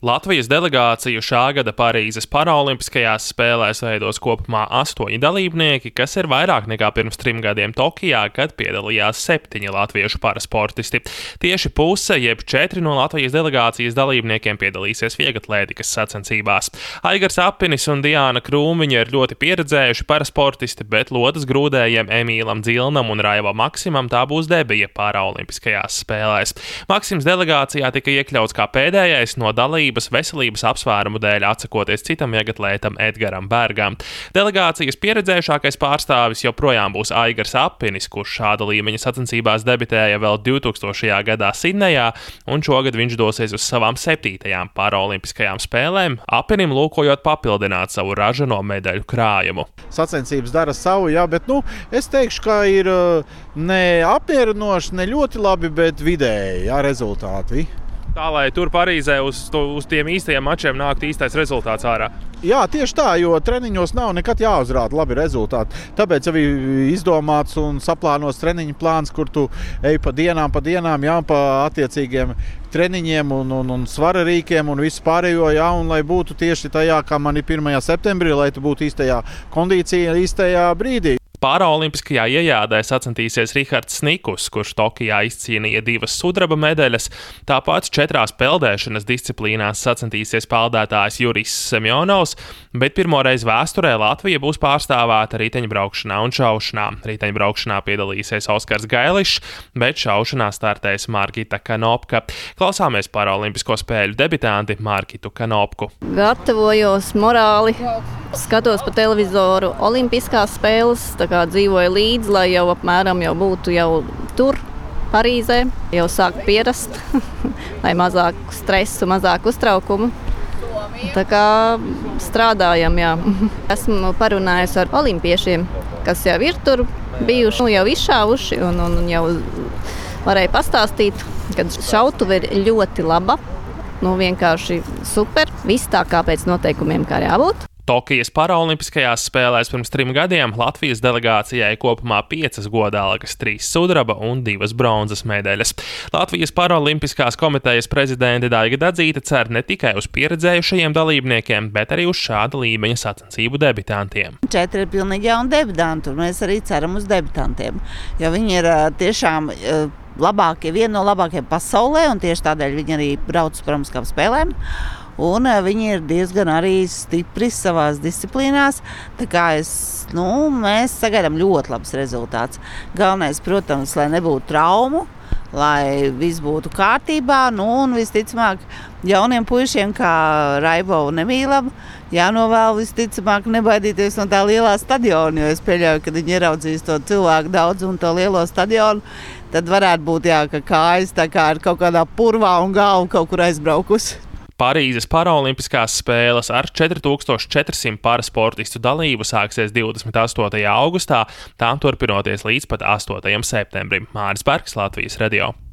Latvijas delegāciju šā gada Parīzes paraolimpiskajās spēlēs veidos kopumā 8 dalībnieki, kas ir vairāk nekā pirms 3 gadiem Tokijā, kad piedalījās 7 latviešu parasportisti. Tieši puse, jeb 4 no Latvijas delegācijas dalībniekiem piedalīsies vieglatlētikas sacensībās. Aigars Apinis un Diāna Krūmiņa ir ļoti pieredzējuši parasportisti, bet lodas grūdējiem Emīlam Dzilnam un Raivam Maksimam tā būs debija paraolimpiskajās spēlēs. Maksims delegācijā tika iekļauts kā pēdējais no veselības apsvērumu dēļ atsakoties citam vieglatlētam Edgaram Bergam. Delegācijas pieredzējušākais pārstāvis joprojām būs Aigars Apinis, kurš šāda līmeņa sacensībās debitēja vēl 2000. gadā Sidnejā, un šogad viņš dosies uz savām 7. paraolimpiskajām spēlēm, Apinim lūkojot papildināt savu ražano medaļu krājumu. Sacensības dara savu, jā, bet es teikšu, ka ir ne apmierinoši, ne ļoti labi, bet vidēji rezultāti. Tā, lai tur Parīzē uz tiem īstajiem mačiem nāktu īstais rezultāts ārā. Jā, tieši tā, jo treniņos nav nekad jāuzrāda labi rezultāti. Tāpēc jau ir izdomāts un saplānots treniņu plāns, kur tu ej pa dienām, jā, pa attiecīgiem treniņiem un svara rīkiem un visu pārējo, jā, un lai būtu tieši tajā, kā man ir 1. septembrī, lai tu būtu īstajā kondīcijā, īstajā brīdī. Paraolimpiskajā iejādē sacensties Rihards Snikus, kurš Tokijā izcīnīja 2 sudraba medaļas, tāpat 4 peldēšanas disciplīnās sacensties peldētājs Juris Semjonovs, bet pirmoreiz vēsturē Latvija būs pārstāvēta riteņbraukšanā un šaušanā. Riteņbraukšanā piedalīsies Oskars Gailišs, bet šaušanā startēs Margita Kanopka. Klausāmies paraolimpisko spēļu debitanti Margitu Kanopku. Gatavojos morāli, skatos pa televizoru olimpiskās spēles, tā kā dzīvoju līdzi, lai jau apmēram būtu tur, Parīzē, jau sāku pierast, lai mazāk stresu, mazāk uztraukumu. Tā kā strādājam, jā. Esmu parunājusi ar olimpiešiem, kas jau ir tur bijuši, jau izšāvuši un jau varēja pastāstīt, ka šautuve ir ļoti laba, vienkārši super, viss tā kā pēc noteikumiem, kā jābūt. Tokijas paraolimpiskajās spēlēs pirms 3 gadiem Latvijas delegācijai kopumā 5 godalgas, 3 sudraba un 2 bronzas medaļas. Latvijas paraolimpiskās komitejas prezidente Daiga Dadzīte cer ne tikai uz pieredzējušajiem dalībniekiem, bet arī uz šāda līmeņa sacensību debitantiem. 4 ir pilnīgi jauni debitanti, un mēs arī ceram uz debitantiem, jo viņi ir tiešām labākie, viena no labākajiem pasaulē, un tieši tādēļ viņi arī brauc uz paralimpiskām spēlēm. Un viņi ir diezgan arī stipri savās disciplīnās, tā kā mēs sagaidām ļoti labs rezultāts. Galvenais, protams, lai nebūtu traumu, lai viss būtu kārtībā, un visticamāk jauniem puišiem kā Raivo un Emīlam jānovēl visticamāk nebaidīties no tā lielā stadiona, jo es pieļauju, kad viņi ieraudzīs to cilvēku daudz un to lielo stadionu, tad varētu būt, ka kājas tā kā ir kaut kādā purvā un galva kaut kur aizbraukusi. Parīzes paraolimpiskās spēles ar 4400 parasportistu dalību sāksies 28. augustā, tām turpinoties līdz pat 8. septembrim. Māris Bergs, Latvijas radio.